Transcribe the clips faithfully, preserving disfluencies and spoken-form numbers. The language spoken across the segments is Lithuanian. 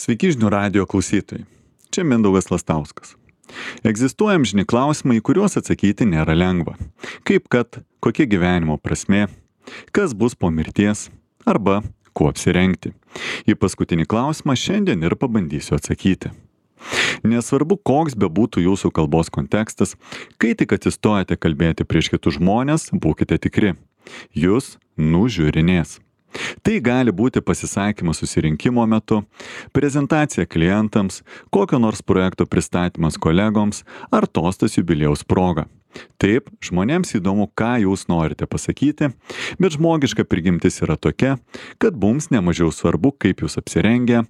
Sveiki žinių radijo klausytojai. Čia Mindaugas Lastauskas. Egzistuoja amžini klausimai, į kuriuos atsakyti nėra lengva. Kaip kad, kokia gyvenimo prasmė, kas bus po mirties, arba kuo apsirengti. Į paskutinį klausimą šiandien ir pabandysiu atsakyti. Nesvarbu, koks bebūtų jūsų kalbos kontekstas, kai tik atsistojate kalbėti prieš kitus žmonės, būkite tikri. Jūs nužiūrinės. Tai gali būti pasisakymas susirinkimo metu, prezentacija klientams, kokio nors projekto pristatymas kolegoms ar tostas jubiliejaus proga. Taip, žmonėms įdomu, ką jūs norite pasakyti, bet žmogiška prigimtis yra tokia, kad mums nemažiau svarbu, kaip jūs apsirengę,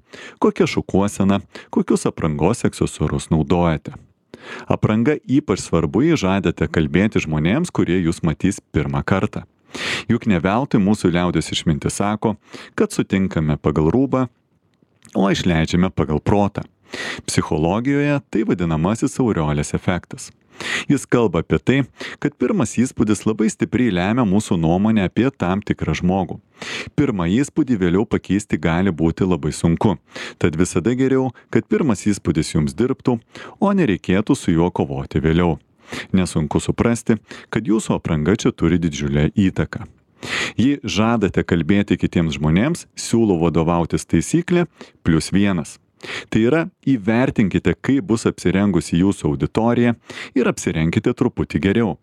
kokia šukuosena, kokius aprangos aksesuarus naudojate. Apranga ypač svarbu, jei žadate kalbėti žmonėms, kurie jūs matys pirmą kartą. Juk ne veltui mūsų liaudės išmintis sako, kad sutinkame pagal rūbą, o išleidžiame pagal protą. Psichologijoje tai vadinamasis aureolės efektas. Jis kalba apie tai, kad pirmas įspūdis labai stipriai lemia mūsų nuomonę apie tam tikrą žmogų. Pirmą įspūdį vėliau pakeisti gali būti labai sunku, tad visada geriau, kad pirmas įspūdis jums dirbtų, o nereikėtų su juo kovoti vėliau. Nesunku suprasti, kad jūsų apranga čia turi didžiulę įtaką. Jei žadate kalbėti kitiems žmonėms, siūlau vadovautis taisyklė plius vienas. Tai yra, įvertinkite, kaip bus apsirengusi jūsų auditorija ir apsirenkite truputį geriau.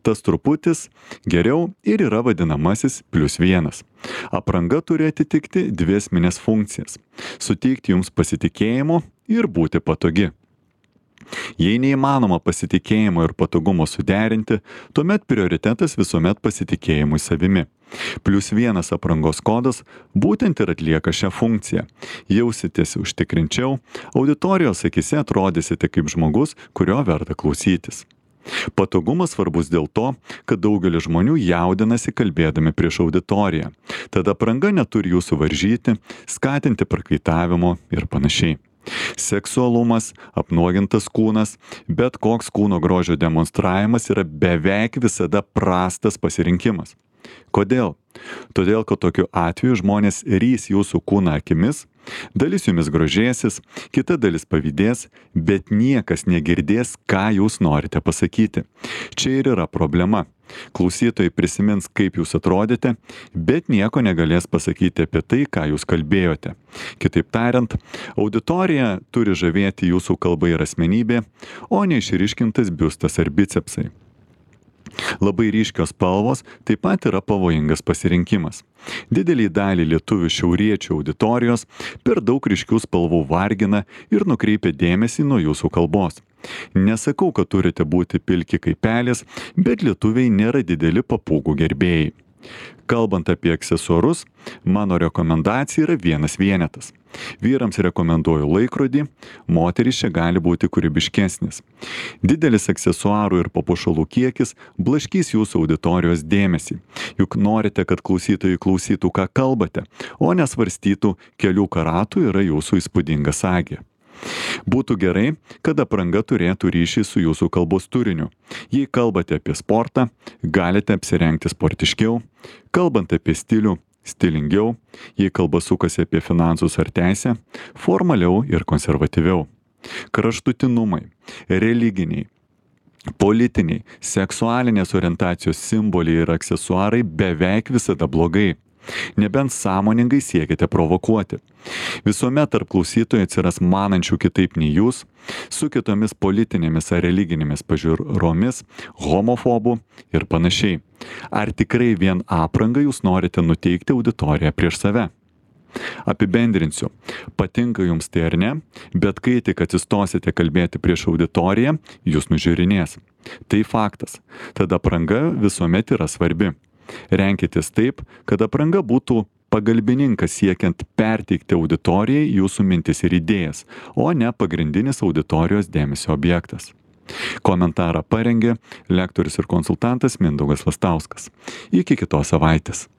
Tas truputis geriau ir yra vadinamasis plius vienas. Apranga turi atitikti dvi esmines funkcijas – suteikti jums pasitikėjimo ir būti patogi. Jei neįmanoma pasitikėjimo ir patogumo suderinti, tuomet prioritetas visuomet pasitikėjimui savimi. Plius vienas aprangos kodas būtent ir atlieka šią funkciją. Jausitės užtikrinčiau, auditorijos akise atrodysite kaip žmogus, kurio verta klausytis. Patogumas svarbus dėl to, kad daugelis žmonių jaudinasi kalbėdami prieš auditoriją. Tada apranga neturi jūsų varžyti, skatinti prakaitavimo ir panašiai. Seksualumas, apnuogintas kūnas, bet koks kūno grožio demonstravimas yra beveik visada prastas pasirinkimas. Kodėl? Todėl, kad tokiu atveju žmonės rys jūsų kūną akimis, dalis jumis grožėsis, kita dalis pavydės, bet niekas negirdės, ką jūs norite pasakyti. Čia ir yra problema. Klausytojai prisimins, kaip jūs atrodėte, bet nieko negalės pasakyti apie tai, ką jūs kalbėjote. Kitaip tariant, auditorija turi žavėti jūsų kalba ir asmenybė, o ne išryškintas biustas ar bicepsai. Labai ryškios spalvos taip pat yra pavojingas pasirinkimas. Didelį dalį lietuvių šiauriečių auditorijos per daug ryškių spalvų vargina ir nukreipia dėmesį nuo jūsų kalbos. Nesakau, kad turite būti pilki kaip pelės, bet lietuviai nėra dideli papūgų gerbėjai. Kalbant apie aksesuarus, mano rekomendacija yra vienas vienetas. Vyrams rekomenduoju laikrodį, moterys čia gali būti kūrybiškesnis. Didelis aksesuarų ir papuošalų kiekis blaškys jūsų auditorijos dėmesį. Juk norite, kad klausytojai klausytų, ką kalbate, o nesvarstytų, kelių karatų yra jūsų įspūdinga sagė. Būtų gerai, kad apranga turėtų ryšį su jūsų kalbos turiniu. Jei kalbate apie sportą, galite apsirengti sportiškiau, kalbant apie stilių, stilingiau, jei kalba sukasi apie finansus ar teisę, formaliau ir konservatyviau. Kraštutinumai, religiniai, politiniai, seksualinės orientacijos simboliai ir aksesuarai beveik visada blogai. Nebent sąmoningai siekite provokuoti. Visuomet tarp klausytojų atsiras manančių kitaip nei jūs, su kitomis politinėmis ar religinėmis pažiūromis, homofobų ir panašiai. Ar tikrai vien aprangą jūs norite nuteikti auditoriją prieš save? Apibendrinsiu. Patinka jums tai ar ne, bet kai tik atsistosite kalbėti prieš auditoriją, jūs nužiūrinės. Tai faktas. Tada apranga visuomet yra svarbi. Renkitės taip, kad apranga būtų pagalbininkas siekiant perteikti auditorijai jūsų mintis ir idėjas, o ne pagrindinis auditorijos dėmesio objektas. Komentarą parengė lektorius ir konsultantas Mindaugas Lastauskas. Iki kitos savaitės.